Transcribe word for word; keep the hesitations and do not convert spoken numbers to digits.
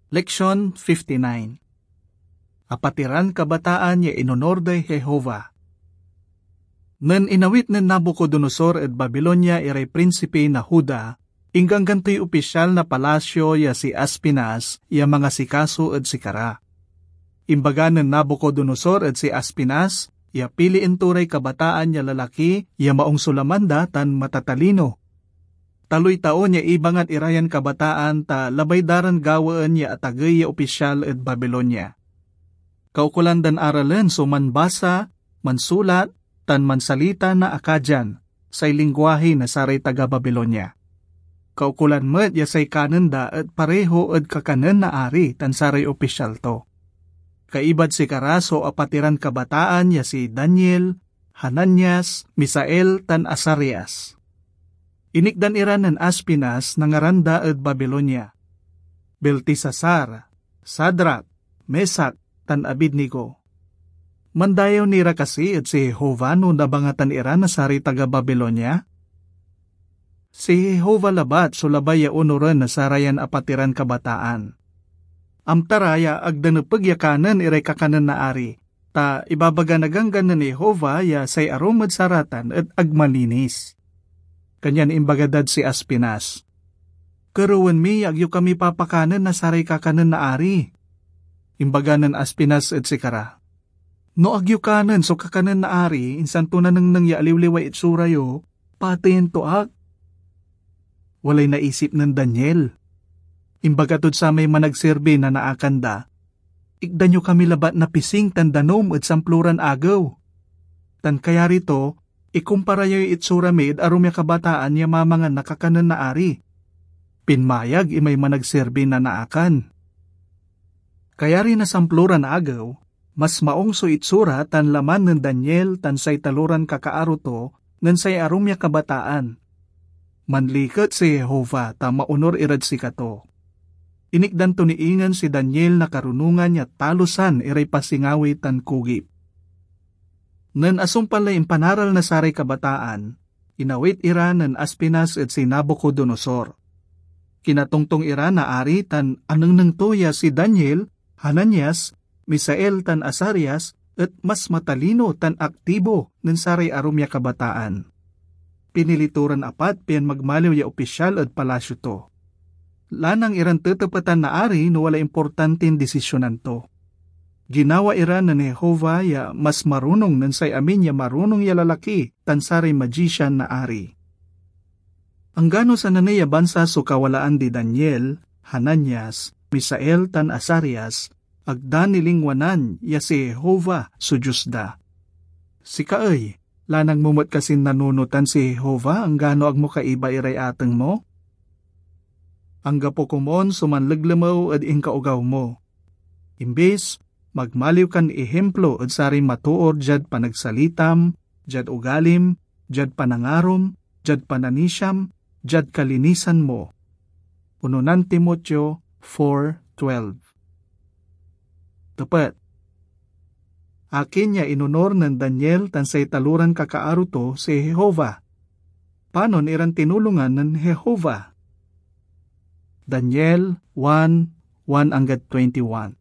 Leksion fifty-nine. Apatiran kabataan ya inonor day Jehovah. Nen inawit nen Nabucodonosor ed Babilonia iray prinsipi na Juda, ingganggan toy opisyal na palasyo ya si Aspinas ya mangasikaso ed sikara. Imbaga nen Nabucodonosor ed si Aspinas ya pilien to ray kabataan ya lalaki ya maong so laman da tan matatalino. Taloy taon ya ibangat ira yan kabataan ta labay da ran gawaen ya atagey ya opisyal ed Babilonia. Kaukolan dan aralen so manbasa, mansulat, tan mansalita na Akkadian, say lingguahi na saray taga Babilonia. Kaukolan met ya say kanen da et pareho ed kakanen na ari tan saray opisyal to. Kaibad sikara so apatiran kabataan ya si Daniel, Hananias, Misael, tan Azarias. Inikdan ira nen Aspinas na ngaran da ed Babilonia: Beltesasar, Sadrak, Mesak, tan Abednego. Mandayew ni ra kasi ed si Jehovah no nabangatan ira na saray taga Babilonia? Si Jehovah labat so labay ya onoren na sarayan apatiran kabataan. Amta ra ya ag da nepeg ya kanen iray kakanen na ari, ta ibabaga na Ganggan nen Jehovah ya say arum ed saratan et ag malinis. Kanyan imbaga dad si Aspinas, "Kerewen mi ya ag yo kami papakanen na saray kakanen na ari." Imbaga nen Aspinas ed sikara, "No ag yo kanen so kakanen na ari, insan to nanengneng ya aliwliway itsura yo, pateyen to ak." Walay naisip nen Daniel. Imbaga tod samay managserbi na naakan da, "Ikdan yo kami labat na pising tan danum ed samploran agew. Tan kayari to, ikumpara yoy itsura mi ed arum ya kabataan ya mamangan na kakanen na ari." Pinmayag imay managserbi na naakan. Kayari na samploran agew, mas maong so itsura tan laman nen Daniel tan say taloran kakaaro to nen say arum ya kabataan. Manliket si Jehovah ta maonor irad sikato. Inikdan to ni ingen si Daniel na karunongan ya talosan iray pasingawi tan kugip. Nen asumpal lay impanaral na saray kabataan, inawit ira nen Aspinas ed si Nabucodonosor. Kinatongtong ira na ari tan anengneng to ya si Daniel, Hananias, Misael, tan Azarias et mas matalino tan aktibo nen saray arum ya kabataan. Pinili to ran apat pian magmaliw ya opisyal ed palasyo to. Lanang iran tetepetan na ari no walay importantin desisyonan to. Ginawa ira nen Jehovah ya mas marunong nen say amin ya marunong ya lalaki tan saray magician na ari. Anggano sananey a bansa so kawalaan di Daniel, Hananias, Misael, tan Azarias, ag da nilingwanan ya si Jehovah so Dios da. Sika ey, lanang mo met kasin nanunotan si Jehovah anggano ag mo kaiba iray ateng mo? Anggapo komon so manleglemew ed inkaogaw mo. Imbis, magmaliw kan ihimplo ed saray matoor diad panagsalitam, diad ugalim, diad panangarom, diad pananisiam, diad kalinisan mo. Unonan Timoteo four twelve. Tepet. Akin ya inonor nen Daniel tan say taloran kakaaro to si Jehovah? Panon iran tinulongan nen Jehovah? Daniel one, one anggad twenty-one.